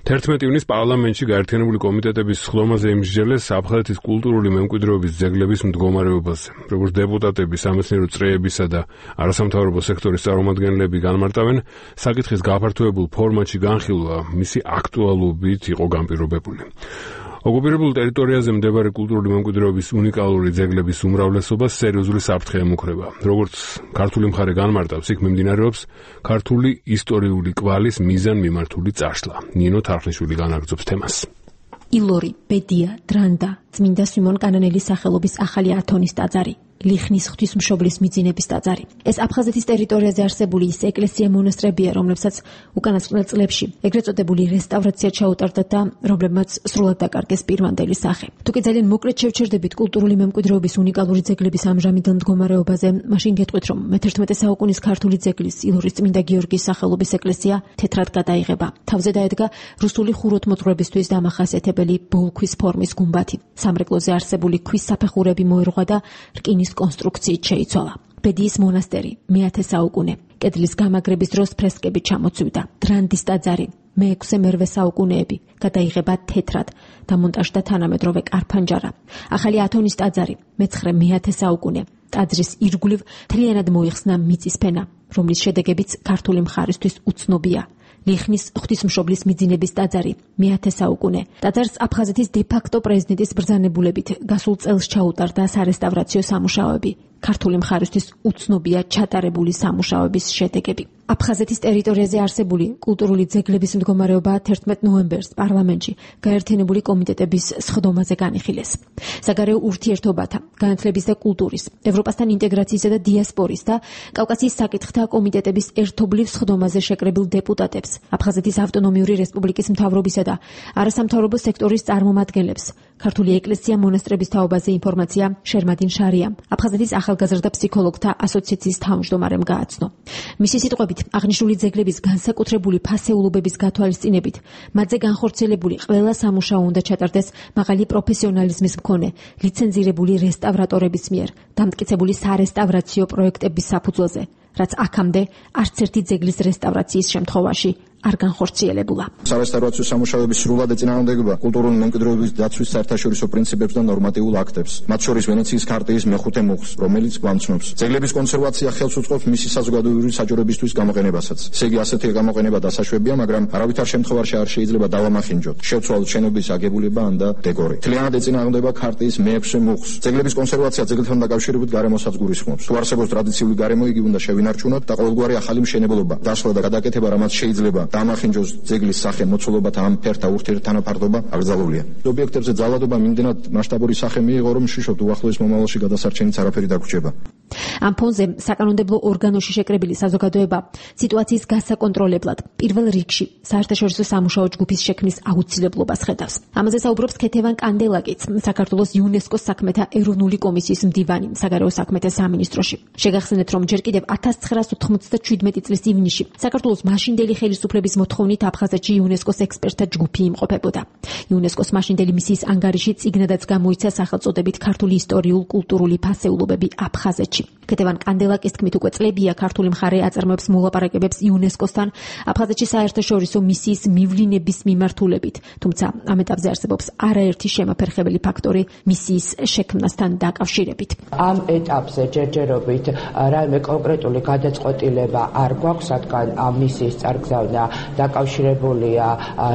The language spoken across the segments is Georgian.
11 ივნის პარლამენტში გაერთიანებული კომიტეტების სხდომაზე იმსჯელეს აფხაზეთის კულტურული მემკვიდრეობის ძეგლების მდგომარეობაზე. როგორც დეპუტატები სამეცნიერო წრეებისა და არასამთავრობო სექტორის წარმომადგენლები განმარტავენ, საკითხის გაფართოებულ ფორმატში განხილვა მისი აქტუალობით იყო განპირობებული. ოკუპირებულ ტერიტორიაზე მდებარე კულტურული მემკვიდრეობის უნიკალური ძეგლების უმრავლესობას სერიოზული საფრთხე ემუქრება. როგორც ქართული მხარე განმარტავს, იქ მიმდინარეობს ქართული ისტორიული კვალის მიზანმიმართული წარსვლა. ნინო თარხნიშვილი განაგრძობს თემას. ილორი, ბედია, დრანდა, წმინდა სიმონ კანანელის სახელობის ახალი ათონის ტაძარი, ლიხნის ღვთისმშობლის მიძინების ტაძარი. ეს აფხაზეთის ტერიტორიაზე არსებული ის ეკლესია-მონასტრებია, რომლებსაც უკანასკნელ წლებში ეგრეთ წოდებული რესტავრაცია ჩაუტარდა და რომლებმაც სრულად დაკარგეს პირვანდელი სახე. თუკი ძალიან მოკლედ შევჩერდებით კულტურული მემკვიდრეობის უნიკალური ძეგლების ამჟამინდელ მდგომარეობაზე, მაშინ გეტყვით, რომ მე-11 საუკუნის ქართული ძეგლის ილორის წმინდა გიორგის სახელობის ეკლესია თეთრად გადაიღება. თავზე დაედგა რუსული ხუროთმოძღვრებისთვის დამახასიათებელი ბოლქვის ფორმის გუმბათი. სამრეკლოზე არსებული ქვის საფეხურები მოერღვა და რკინის კონსტრუქციით შეიცვალა. ბედიის მონასტერი, მე-10 საუკუნე. კედლის გამაგრების დროს ფრესკები ჩამოცვიდა. დრანდის ტაძარი, მე-6-მე-8 საუკუნეები, გადაიღება თეთრად, დამონტაჟდა თანამედროვე კარფანჯარა. ახალი ათონის ტაძარი, მე-9-მე-10 საუკუნე. ტაძრის ირგვლივ მთლიანად მოიხსნა მიწის ფენა, რომლის შედეგებიც ქართული მხარისთვის უცნობია. ლიხნის ღვთისმშობლის მიძინების ტაძარი, მე-10 საუკუნე. ტაძარს აფხაზეთის დე-ფაქტო პრეზიდენტის ბრძანებულებით გასულ წელს ჩაუტარდა სარესტავრაციო სამუშაოები. ქართული მხარისთვის უცნობია ჩატარებული სამუშაოების შედეგები. აფხაზეთის ტერიტორიაზე არსებული კულტურული ძეგლების მდგომარეობა 11 ნოემბერს პარლამენტში გაერთიანებული კომიტეტების სხდომაზე განიხილეს. საგარეო ურთიერთობათა, განათლების და კულტურის, ევროპასთან ინტეგრაციისა და დიასპორის და კავკასიის საკითხთა კომიტეტების ერთობლივ სხდომაზე შეკრებილ დეპუტატებს, აფხაზეთის ავტონომიური რესპუბლიკის მთავრობისა და არასამთავრობო სექტორის წარმომადგენლებს, ქართული ეკლესია-მონასტრების თაობაზე ინფორმაცია შერმადინ შარიამ, აფხაზეთის ახალგაზრდა ფსიქოლოგთა ასოციაციის თავმჯდომარემ გააცნო. მისი სიტყვებით, აღნიშნული ძეგლების განსაკუთრებული ფასეულობების გათვალისწინებით, მათზე განხორციელებული ყველა სამუშაო უნდა ჩატარდეს მაღალი პროფესიონალიზმის მქონე, ლიცენზირებული რესტავრატორების მიერ, დამტკიცებული სარესტავრაციო პროექტების საფუძველზე, რაც აქამდე არც ერთი ძეგლის რესტავრაციის შემთხვევაში არ განხორციელებულა. სარესტავრაციო სამუშაოების სრულად ეწინააღმდეგება კულტურული მემკვიდრეობის დაცვის საერთაშორისო პრინციპებს და ნორმატიულ აქტებს, მათ შორის ვენეციის ქარტიის მე-5 მუხლს, რომელიც გვამცნობს. ძეგლების კონსერვაცია ხელს უწყობს მისი საზოგადოებრივი საჯარებისთვის გამოყენებასაც. ესე იგი, ასეთი გამოყენება დასაშვებია, მაგრამ არავითარ შემთხვევაში არ შეიძლება დავამახინჯოთ, შევცვალოთ შენობის აგებულება ან და დეკორი. მთლიანად ეწინააღმდეგება ქარტიის მე-6 მუხლს. ძეგლების კონსერვაცია ძეგლთან დაკავშირებით გარემოსაც გულისხმობს. თუ არსებობს ტრადიციული გარემო, იგი უნდა შევინარჩუნოთ და ყოველგვარი ახალი მშენებლობა, დასვლა და გადაკეთება, რამაც შეიძლება დამახინჯოს ძეგლის სახე, მოცულობათა ამ ფერთა ურთიერთთანაფარდობა აკრძალულია. ობიექტებზე ძალადობა მიმდენად მასშტაბური სახე მიიღო, რომ შიშობთ უახლოეს მომავალში გადასარჩენიც არაფერი დაგვრჩება. ამ ფონზე საკანონმდებლო ორგანოში შეკრებილი საზოგადოება სიტუაციის გასაკონტროლებლად პირველ რიგში საერთაშორისო სამუშაო ჯგუფის შექმნის აუცილებლობას ხედავს. ამაზე საუბრობს ქეთევან კანდელაკიც, საქართველოს იუნესკოს საქმეთა ეროვნული კომისიის მდივანი საგარეო საქმეთა სამინისტროში. შეგახსენეთ, რომ ჯერ კიდევ 1997 წლის ივნისში საქართველოს მაშინდელი ხელისუფლების მოთხოვნით აფხაზეთში იუნესკოს ექსპერტთა ჯგუფი იმყოფებოდა. იუნესკოს მაშინდელი მისიის ანგარიში წიგნადაც გამოიცა სახელწოდებით ქართული ისტორიულ-კულტურული ფასეულობები აფხაზეთში. ქეთევან კანდელაკის თქმით, უკვე წლებია ქართული მხარე აწარმოებს მოლაპარაკებებს იუნესკოსთან აფხაზეთში საერთაშორისო მისიის მივლინების მიმართულებით, თუმცა ამ ეტაპზე არსებობს არაერთი შემაფერხებელი ფაქტორი მისიის შექმნასთან დაკავშირებით. ამ ეტაპზე ჯერჯერობით რაიმე კონკრეტული გადაწყვეტილება არ გვაქვს, რადგან ამ მისიის წარგზავნა დაკავშირებულია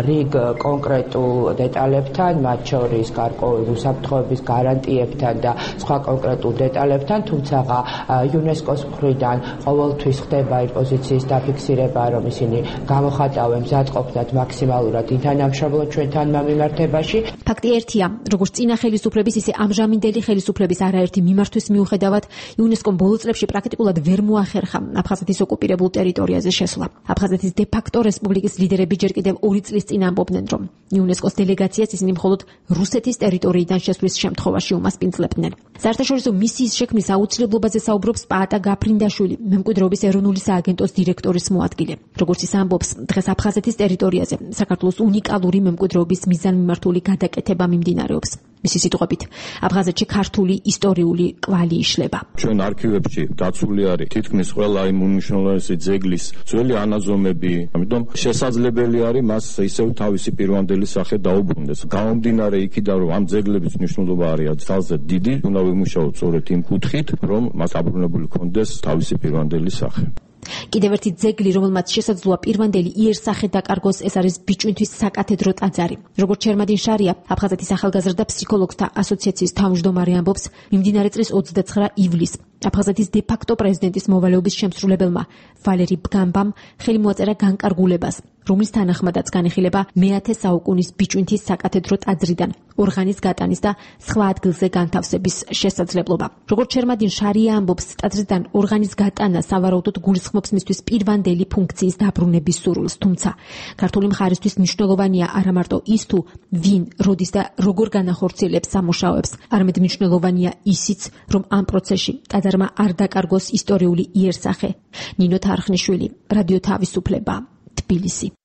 რიგ კონკრეტულ დეტალებთან, მათ შორის გარკვეული უსაფრთხოების გარანტიებთან და სხვა კონკრეტულ დეტალებთან, თუმცა იუნესკოს მხრიდან ყოველთვის ხდება იმ პოზიციის დაფიქსირება, რომ ისინი გამოხატავენ მზადყოფნად მაქსიმალურად ინთანამშრომლობ ჩვენთან მიმართებაში. ფაქტი ერთია, როგორც წინა ხელისუფლების, ისე ამჟამინდელი ხელისუფლების არაერთი მიმართვის მიუხედავად, იუნესკომ ბოლო წლებში პრაქტიკულად ვერ მოახერხა აფხაზეთის ოკუპირებულ ტერიტორიაზე შესვლა. აფხაზეთის დე-ფაქტო რესპუბლიკის ლიდერები ჯერ კიდევ 2 წლის წინ ამბობდნენ, რომ იუნესკოს დელეგაციას ისინი მხოლოდ რუსეთის ტერიტორიიდან შესვლის შემთხვევაში უმასპინძლებდნენ. საერთაშორისო მისიის შექმნის აუცილებლობაზე საუბრობს პაატა გაფრინდაშვილი, მემკვიდრეობის ეროვნული სააგენტოს დირექტორის მოადგილე. როგორც ის ამბობს, დღეს აფხაზეთის ტერიტორიაზე საქართველოს უნიკალური მემკვიდრეობის მიზანმიმართული გადაკეთება მიმდინარეობს. მისი სიტყვებით, აფხაზეთში ქართული ისტორიული კვალი იშლება. ჩვენ არქივებში დაცული არის თითქმის ყველა იმ უმნიშვნელოვანესი ძეგლის ძველი ანაზომები, ამიტომ შესაძლებელი არის მას ისევ თავისი პირვანდელი სახე დაუბრუნდეს. გამომდინარე იქიდან, რომ ამ ძეგლების მნიშვნელობა არის ძალზე დიდი, უნდა ვიმუშაოთ სწორედ იმ კუთხით, რომ მას დაბრუნებული ქონდეს თავისი პირვანდელი სახე. კიდევ ერთი ძეგლი, რომელმაც შესაძლოა პირვანდელი იერსახე დაკარგოს, ეს არის ბიჭვინთვის საკათედრო ტაძარი. როგორც ჩერმა딘 შარია, აფხაზეთის ახალგაზრდა ფსიქოლოგთა ასოციაციის თავმჯდომარე ამბობს, მიმდინარე წლის 29 ივლისს აფხაზეთის დე-ფაქტო პრეზიდენტის მოვალეობის შემსრულებელმა ვალერი ბგამბამ ხელი მოაწერა განკარგულებას, რომლის თანახმადაც განიხილება მე-10 საუკუნის ბიჭვინთის საკათედრო ტაძრიდან ორღანის გატანის და სხვა ადგილზე განთავსების შესაძლებლობა. როგორც ჩერმა딘 შარია ამბობს, ტაძრიდან ორღანის გატანა სავარაუდოდ გულისხმობს მისთვის პირვანდელი ფუნქციის დაბრუნების სურვილს, თუმცა ქართული მხარისთვის მნიშვნელოვანია არა მარტო ის თუ ვინ, როდის და როგორ განახორციელებს სამუშაოებს, არამედ მნიშვნელოვანია ისიც, რომ ამ პროცესში ტაძარმა არ დაკარგოს ისტორიული იერსახე. ნინო თარხნიშვილი, რადიო თავისუფლება, თბილისი.